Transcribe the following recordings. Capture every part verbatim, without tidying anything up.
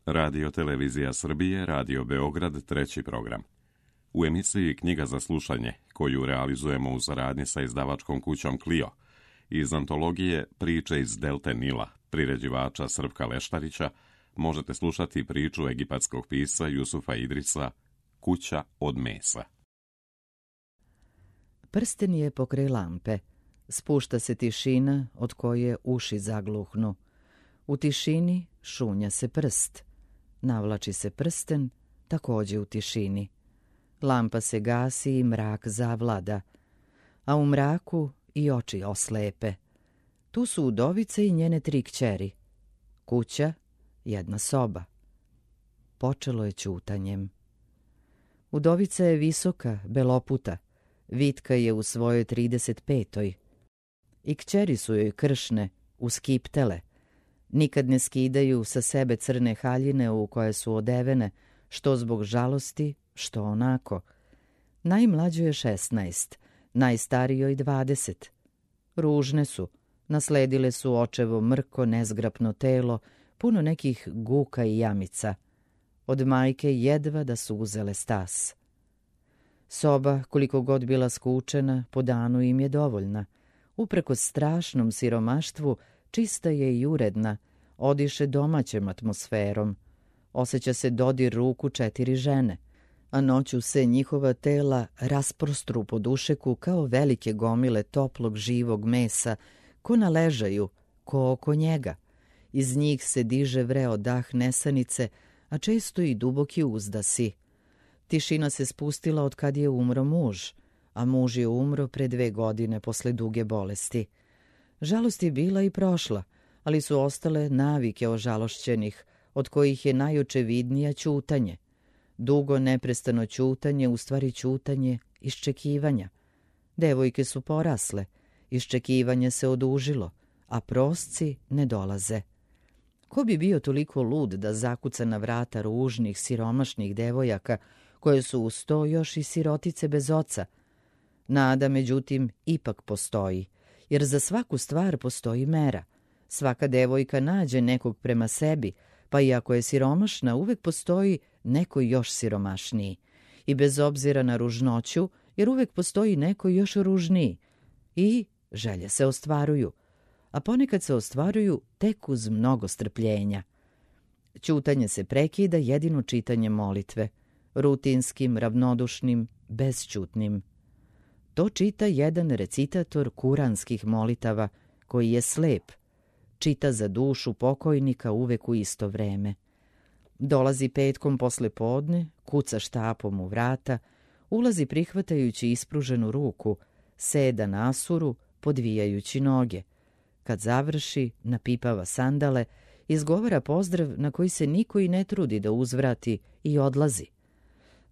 Radio Televizija Srbije, Radio Beograd, treći program. U emisiji Knjiga za slušanje, koju realizujemo u saradnji sa izdavačkom kućom Clio, iz antologije Priče iz Delte Nila, priređivača Srpka Leštarića, možete slušati priču egipatskog pisca Jusufa Idrisa Kuća od mesa. Prsten je pokraj lampe. Spušta se tišina od koje uši zagluhnu. U tišini šunja se prst. Navlači se prsten, takođe u tišini. Lampa se gasi i mrak zavlada. A u mraku i oči oslepe. Tu su udovica i njene tri kćeri. Kuća, jedna soba. Počelo je ćutanjem. Udovica je visoka, beloputa. Vitka je u svojoj trideset petoj. I kćeri su joj kršne, uskiptele. Nikad ne skidaju sa sebe crne haljine u koje su odevene, što zbog žalosti, što onako. Najmlađoj je šesnaest, najstarijoj dvadeset. Ružne su, nasledile su očevo mrko, nezgrapno telo, puno nekih guka i jamica. Od majke jedva da su uzele stas. Soba, koliko god bila skučena, po danu im je dovoljna. Uprkos strašnom siromaštvu, čista je i uredna, odiše domaćem atmosferom. Osjeća se dodir ruku četiri žene, a noću se njihova tela rasprostru po dušeku kao velike gomile toplog živog mesa, ko naležaju, ko oko njega. Iz njih se diže vreo dah nesanice, a često i duboki uzdasi. Tišina se spustila od kad je umro muž, a muž je umro pre dve godine posle duge bolesti. Žalost je bila i prošla, ali su ostale navike ožalošćenih, od kojih je najočevidnija ćutanje. Dugo neprestano ćutanje, u stvari ćutanje iščekivanja. Devojke su porasle, iščekivanje se odužilo, a prosci ne dolaze. Ko bi bio toliko lud da zakuca na vrata ružnih, siromašnih devojaka, koje su uz to još i sirotice bez oca? Nada, međutim, ipak postoji, jer za svaku stvar postoji mera. Svaka devojka nađe nekog prema sebi, pa i ako je siromašna, uvek postoji neko još siromašniji. I bez obzira na ružnoću, jer uvek postoji neko još ružniji. I želje se ostvaruju, a ponekad se ostvaruju tek uz mnogo strpljenja. Ćutanje se prekida jedino čitanjem molitve, rutinskim, ravnodušnim, bezćutnim. To čita jedan recitator kuranskih molitava, koji je slep. Čita za dušu pokojnika uvek u isto vreme. Dolazi petkom posle podne, kuca štapom u vrata, ulazi prihvatajući ispruženu ruku, seda na asuru, podvijajući noge. Kad završi, napipava sandale, izgovara pozdrav na koji se niko i ne trudi da uzvrati i odlazi.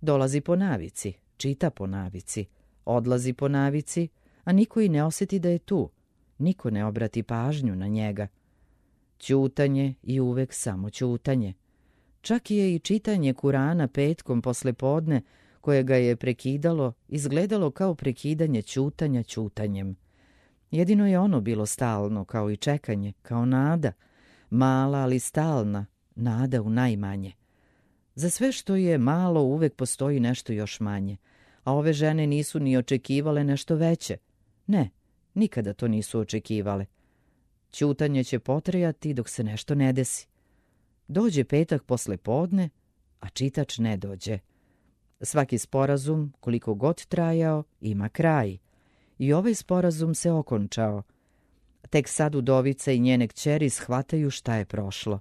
Dolazi po navici, čita po navici, odlazi po navici, a niko i ne osjeti da je tu. Niko ne obrati pažnju na njega. Ćutanje i uvek samo ćutanje. Čak je i čitanje Kurana petkom posle podne, koje ga je prekidalo, izgledalo kao prekidanje ćutanja ćutanjem. Jedino je ono bilo stalno, kao i čekanje, kao nada, mala ali stalna, nada u najmanje. Za sve što je malo uvek postoji nešto još manje, a ove žene nisu ni očekivale nešto veće. Ne, nikada to nisu očekivale. Ćutanje će potrajati dok se nešto ne desi. Dođe petak posle podne, a čitač ne dođe. Svaki sporazum, koliko god trajao, ima kraj. I ovaj sporazum se okončao. Tek sad udovica i njene kćeri shvataju šta je prošlo.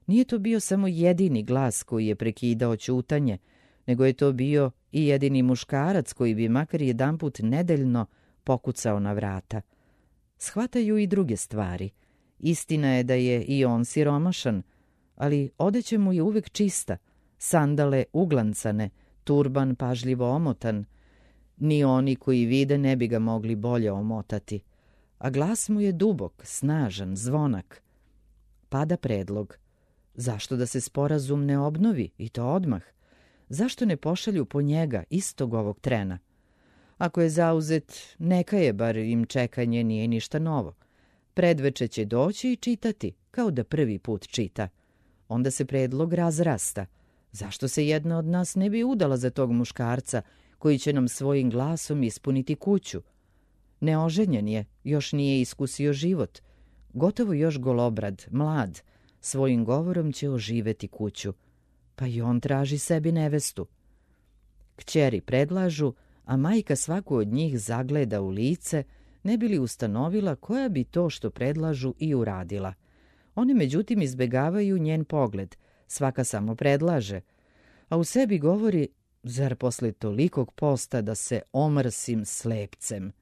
Nije to bio samo jedini glas koji je prekidao ćutanje, nego je to bio i jedini muškarac koji bi makar jedanput nedeljno pokucao na vrata. Shvataju i druge stvari. Istina je da je i on siromašan, ali odeća mu je uvek čista, sandale uglancane, turban pažljivo omotan. Ni oni koji vide ne bi ga mogli bolje omotati. A glas mu je dubok, snažan, zvonak. Pada predlog. Zašto da se sporazum ne obnovi, i to odmah? Zašto ne pošalju po njega istog ovog trena? Ako je zauzet, neka je, bar im čekanje nije ništa novo. Predveče će doći i čitati, kao da prvi put čita. onda se predlog razrasta. Zašto se jedna od nas ne bi udala za tog muškarca koji će nam svojim glasom ispuniti kuću? Neoženjen je, još nije iskusio život. Gotovo još golobrad, mlad, svojim govorom će oživeti kuću. Pa i on traži sebi nevestu. Kćeri predlažu, a majka svaku od njih zagleda u lice, ne bi li ustanovila koja bi to što predlažu i uradila. One međutim izbegavaju njen pogled, svaka samo predlaže, a u sebi govori, zar posle tolikog posta da se omrsim slepcem.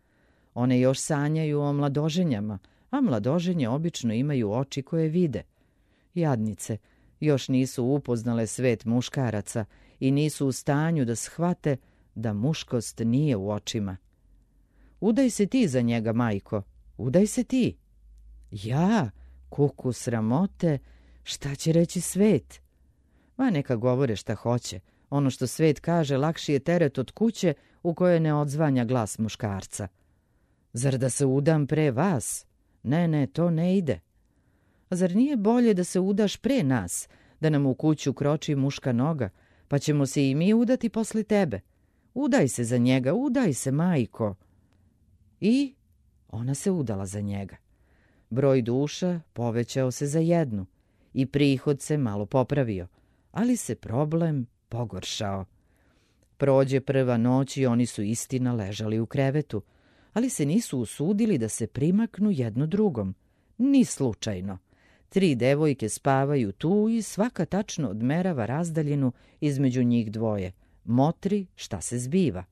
One još sanjaju o mladoženjama, a mladoženje obično imaju oči koje vide. Jadnice, još nisu upoznale svet muškaraca i nisu u stanju da shvate da muškost nije u očima. Udaj se ti za njega, majko, udaj se ti. Ja, kuku sramote, šta će reći svet? Ma neka govore šta hoće, ono što svet kaže lakši je teret od kuće u kojoj ne odzvanja glas muškarca. Zar da se udam pre vas? Ne, ne, to ne ide. A zar nije bolje da se udaš pre nas, da nam u kuću kroči muška noga, pa ćemo se i mi udati posle tebe? Udaj se za njega, udaj se, majko. I ona se udala za njega. Broj duša povećao se za jednu i prihod se malo popravio, ali se problem pogoršao. Prođe prva noć i oni su istina ležali u krevetu, ali se nisu usudili da se primaknu jedno drugom, ni slučajno. Tri devojke spavaju tu i svaka tačno odmerava razdaljinu između njih dvoje, motri šta se zbiva.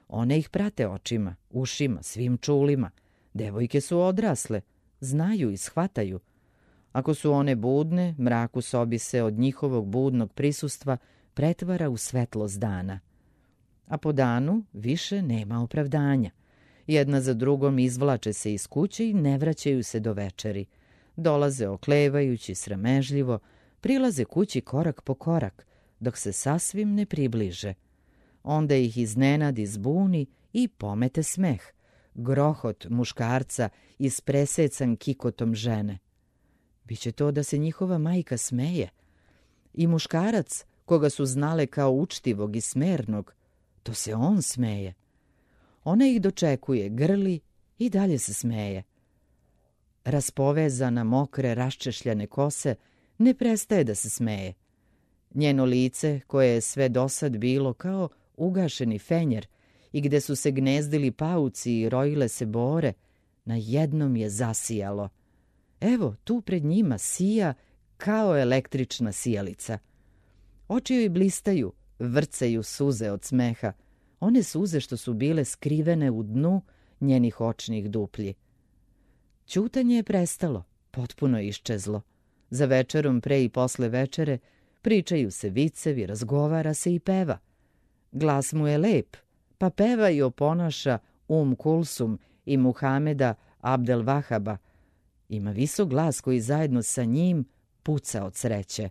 One ih prate očima, ušima, svim čulima. Devojke su odrasle, znaju i shvataju. Ako su one budne, mrak u sobi se od njihovog budnog prisustva pretvara u svetlost dana. A po danu više nema opravdanja. Jedna za drugom izvlače se iz kuće i ne vraćaju se do večeri. Dolaze oklevajući, sramežljivo, prilaze kući korak po korak, dok se sasvim ne približe. Onda ih iznenadi zbuni i pomete smeh, grohot muškarca ispresecan kikotom žene. Biće to da se njihova majka smeje. I muškarac, koga su znale kao učtivog i smernog, to se on smeje. Ona ih dočekuje, grli i dalje se smeje. Raspovezana, mokre, raščešljane kose ne prestaje da se smeje. Njeno lice, koje je sve dosad bilo kao ugašeni fenjer i gde su se gnezdili pauci i rojile se bore, na jednom je zasijalo. Evo, tu pred njima sija kao električna sijalica. Oči joj blistaju, vrcaju suze od smeha, one suze što su bile skrivene u dnu njenih očnih duplji. Ćutanje je prestalo, potpuno je iščezlo. Za večerom, pre i posle večere, pričaju se vicevi, razgovara se i peva. Glas mu je lep, pa peva i oponaša Um Kulsum i Muhameda Abdel Vahaba. Ima visok glas koji zajedno sa njim puca od sreće.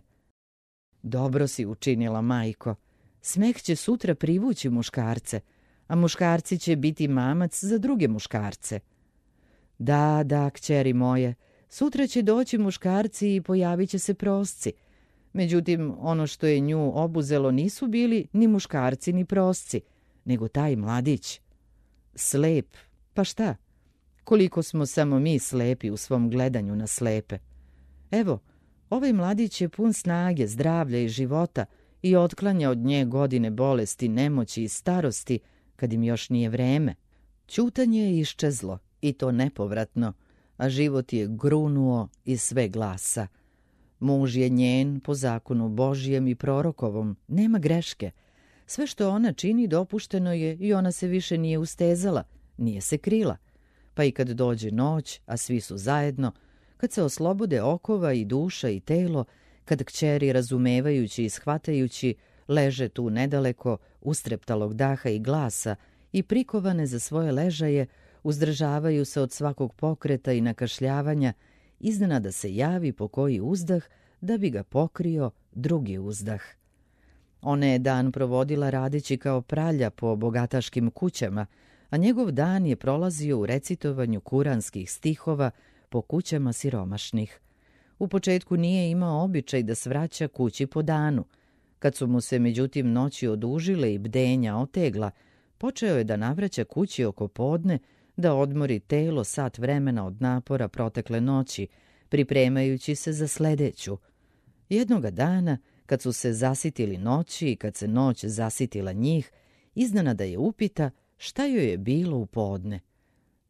Dobro si učinila, majko. Smeh će sutra privući muškarce, a muškarci će biti mamac za druge muškarce. Da, da, kćeri moje, sutra će doći muškarci i pojavit će se prosci. Međutim, ono što je nju obuzelo nisu bili ni muškarci ni prosci, nego taj mladić. Slep, pa šta? Koliko smo samo mi slepi u svom gledanju na slepe. Evo, ovaj mladić je pun snage, zdravlja i života i otklanja od nje godine bolesti, nemoći i starosti, kad im još nije vreme. Ćutanje je iščezlo, i to nepovratno, a život je grunuo iz sve glasa. Muž je njen po zakonu Božijem i prorokovom, nema greške. Sve što ona čini dopušteno je i ona se više nije ustezala, nije se krila. Pa i kad dođe noć, a svi su zajedno, kad se oslobode okova i duša i telo, kad kćeri razumevajući i shvatajući leže tu nedaleko, ustreptalog daha i glasa i prikovane za svoje ležaje, uzdržavaju se od svakog pokreta i nakašljavanja, iznenada se javi po koji uzdah da bi ga pokrio drugi uzdah. Ona je dan provodila radeći kao pralja po bogataškim kućama, a njegov dan je prolazio u recitovanju kuranskih stihova po kućama siromašnih. U početku nije imao običaj da svraća kući po danu. Kad su mu se međutim noći odužile i bdenja otegla, počeo je da navraća kući oko podne, da odmori telo sat vremena od napora protekle noći, pripremajući se za sledeću. Jednoga dana, kad su se zasitili noći i kad se noć zasitila njih, iznenada je upita šta joj je bilo u podne.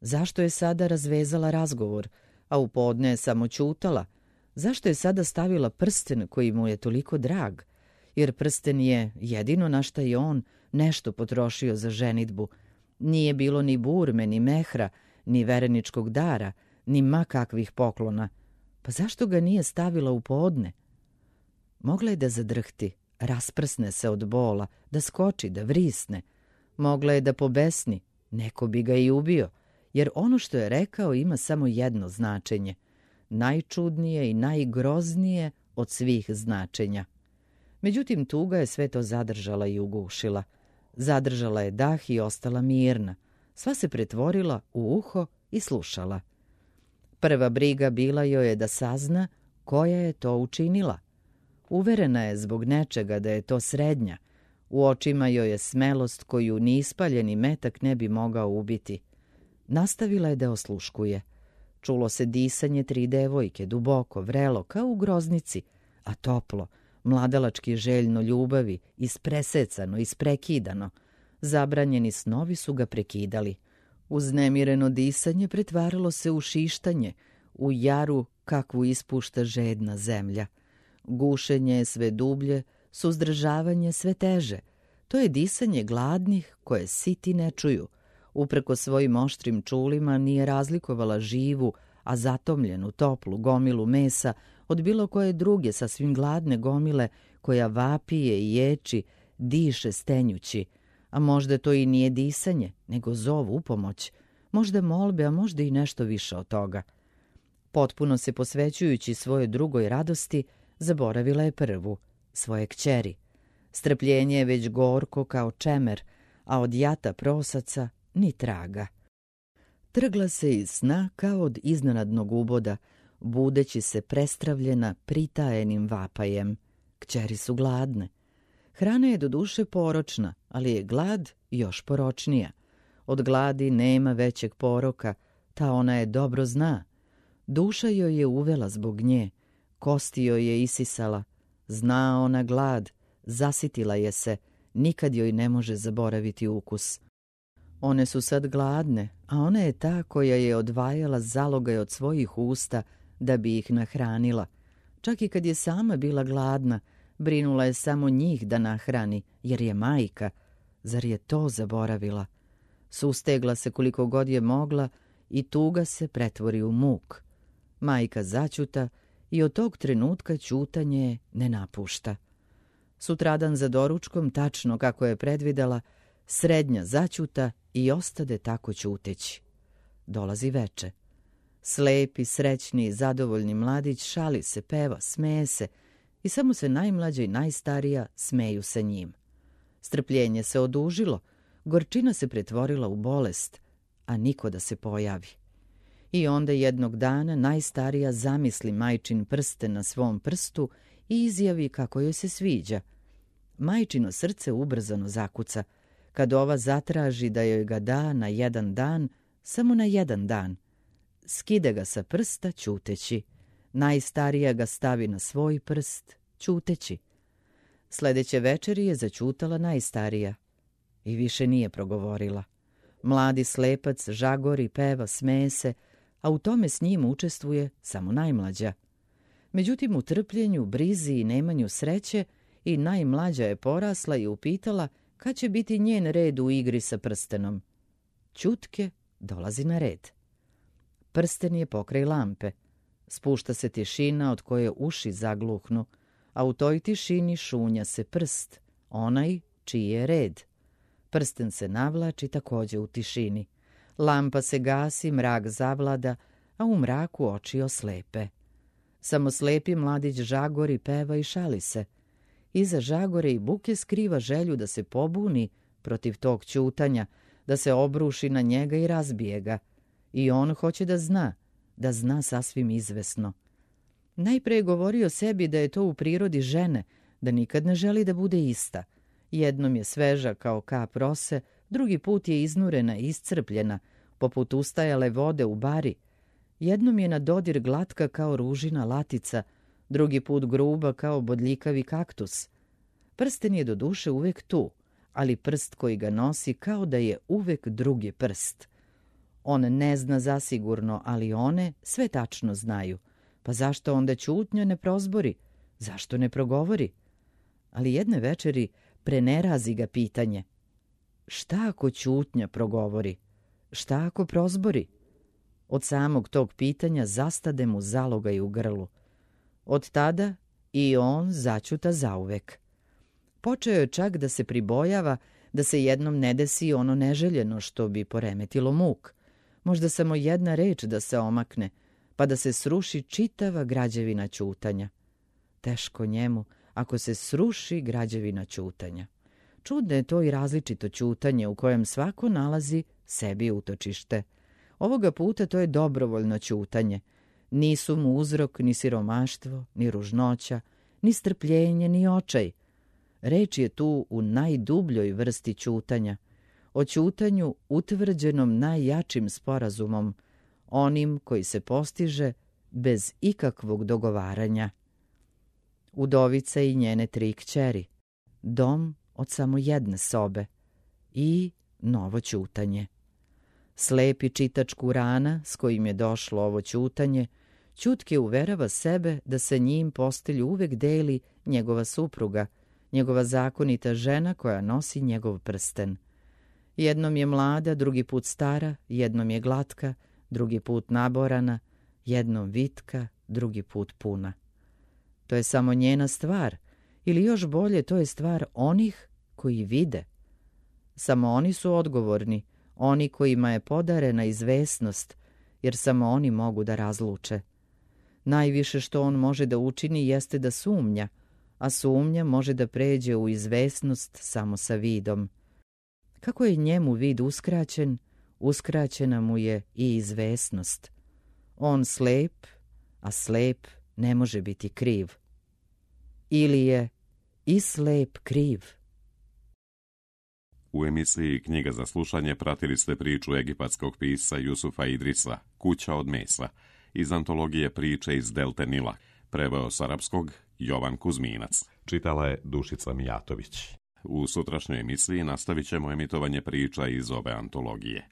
Zašto je sada razvezala razgovor, a u podne je samo ćutala? Zašto je sada stavila prsten koji mu je toliko drag? Jer prsten je jedino na šta je on nešto potrošio za ženidbu. Nije bilo ni burme, ni mehra, ni vereničkog dara, ni ma kakvih poklona. Pa zašto ga nije stavila u podne? Mogla je da zadrhti, rasprsne se od bola, da skoči, da vrisne. Mogla je da pobesni, neko bi ga i ubio, jer ono što je rekao ima samo jedno značenje, najčudnije i najgroznije od svih značenja. Međutim, tuga je sve to zadržala i ugušila. Zadržala je dah i ostala mirna. Sva se pretvorila u uho i slušala. Prva briga bila joj je da sazna koja je to učinila. Uverena je zbog nečega da je to srednja. U očima joj je smelost koju ni ispaljeni metak ne bi mogao ubiti. Nastavila je da osluškuje. Čulo se disanje tri devojke, duboko, vrelo, kao u groznici, a toplo, mladalački željno ljubavi, ispresecano, isprekidano. Zabranjeni snovi su ga prekidali. Uznemireno disanje pretvaralo se u šištanje, u jaru kakvu ispušta žedna zemlja. Gušenje je sve dublje, suzdržavanje sve teže. To je disanje gladnih koje siti ne čuju. Upreko svojim oštrim čulima nije razlikovala živu, a zatomljenu, toplu gomilu mesa od bilo koje druge sasvim gladne gomile koja vapije i ječi, diše stenjući. A možda to i nije disanje, nego zov u pomoć. Možda molbe, a možda i nešto više od toga. Potpuno se posvećujući svojoj drugoj radosti, zaboravila je prvu, svoje kćeri. Strpljenje je već gorko kao čemer, a od jata prosaca ni traga. Trgla se iz sna kao od iznenadnog uboda, budeći se prestravljena pritajenim vapajem. Kćeri su gladne. Hrana je doduše poročna, ali je glad još poročnija. Od gladi nema većeg poroka, ta ona je dobro zna. Duša joj je uvela zbog nje, kosti joj je isisala. Zna ona glad, zasitila je se, nikad joj ne može zaboraviti ukus. One su sad gladne, a ona je ta koja je odvajala zalogaj od svojih usta da bi ih nahranila. Čak i kad je sama bila gladna, brinula je samo njih da nahrani, jer je majka. Zar je to zaboravila? Sustegla se koliko god je mogla i tuga se pretvori u muk. Majka začuta i od tog trenutka ćutanje je ne napušta. Sutradan za doručkom, tačno kako je predvidela, srednja začuta i ostade tako ćuteći. Dolazi veče. Slepi, srećni i zadovoljni mladić šali se, peva, smeje se i samo se najmlađa i najstarija smeju sa njim. Strpljenje se odužilo, gorčina se pretvorila u bolest, a niko da se pojavi. I onda jednog dana najstarija zamisli majčin prsten na svom prstu i izjavi kako joj se sviđa. Majčino srce ubrzano zakuca, kad ova zatraži da joj ga da na jedan dan, samo na jedan dan. Skide ga sa prsta ćuteći. Najstarija ga stavi na svoj prst, ćuteći. Sledeće večeri je zaćutala najstarija i više nije progovorila. Mladi slepac žagori, peva, smeje se, a u tome s njim učestvuje samo najmlađa. Međutim, u trpljenju, brizi i nemanju sreće i najmlađa je porasla i upitala kad će biti njen red u igri sa prstenom. Ćutke dolazi na red. Prsten je pokraj lampe. Spušta se tišina od koje uši zagluhnu, a u toj tišini šunja se prst, onaj čiji je red. Prsten se navlači takođe u tišini. Lampa se gasi, mrak zavlada, a u mraku oči oslepe. Samo slepi mladić žagori, peva i šali se. Iza žagore i buke skriva želju da se pobuni protiv tog ćutanja, da se obruši na njega i razbije ga. I on hoće da zna, da zna sasvim izvesno. Najpre je govorio sebi da je to u prirodi žene, da nikad ne želi da bude ista. Jednom je sveža kao kap rose, drugi put je iznurena i iscrpljena, poput ustajale vode u bari. Jednom je na dodir glatka kao ružina latica, drugi put gruba kao bodljikavi kaktus. Prsten je do duše uvek tu, ali prst koji ga nosi kao da je uvek drugi prst. On ne zna zasigurno, ali one sve tačno znaju. Pa zašto onda ćutnja ne prozbori? Zašto ne progovori? Ali jedne večeri prenerazi ga pitanje. Šta ako ćutnja progovori? Šta ako prozbori? Od samog tog pitanja zastade mu zalogaj u grlu. Od tada i on začuta zauvek. Počeo je čak da se pribojava da se jednom ne desi ono neželjeno što bi poremetilo muk. Možda samo jedna reč da se omakne, pa da se sruši čitava građevina ćutanja. Teško njemu ako se sruši građevina ćutanja. Čudno je to i različito ćutanje u kojem svako nalazi sebi utočište. Ovoga puta to je dobrovoljno ćutanje. Nisu mu uzrok ni siromaštvo, ni ružnoća, ni strpljenje, ni očaj. Reč je tu u najdubljoj vrsti ćutanja, o ćutanju utvrđenom najjačim sporazumom, onim koji se postiže bez ikakvog dogovaranja. Udovica i njene tri kćeri, dom od samo jedne sobe i novo ćutanje. Slepi čitač Kurana s kojim je došlo ovo ćutanje, ćutke uverava sebe da sa njim postelju uvek deli njegova supruga, njegova zakonita žena koja nosi njegov prsten. Jednom je mlada, drugi put stara, jednom je glatka, drugi put naborana, jednom vitka, drugi put puna. To je samo njena stvar, ili još bolje, to je stvar onih koji vide. Samo oni su odgovorni, oni kojima je podarena izvesnost, jer samo oni mogu da razluče. Najviše što on može da učini jeste da sumnja, a sumnja može da pređe u izvesnost samo sa vidom. Kako je njemu vid uskraćen, uskraćena mu je i izvesnost. On slep, a slep ne može biti kriv. Ili je i slep kriv. U emisiji Knjiga za slušanje pratili ste priču egipatskog pisca Jusufa Idrisa, Kuća od mesa, iz antologije Priče iz Delte Nila, preveo s arapskog Jovan Kuzminac. Čitala je Dušica Mijatović. U sutrašnjoj emisiji nastavit ćemo emitovanje priča iz ove antologije.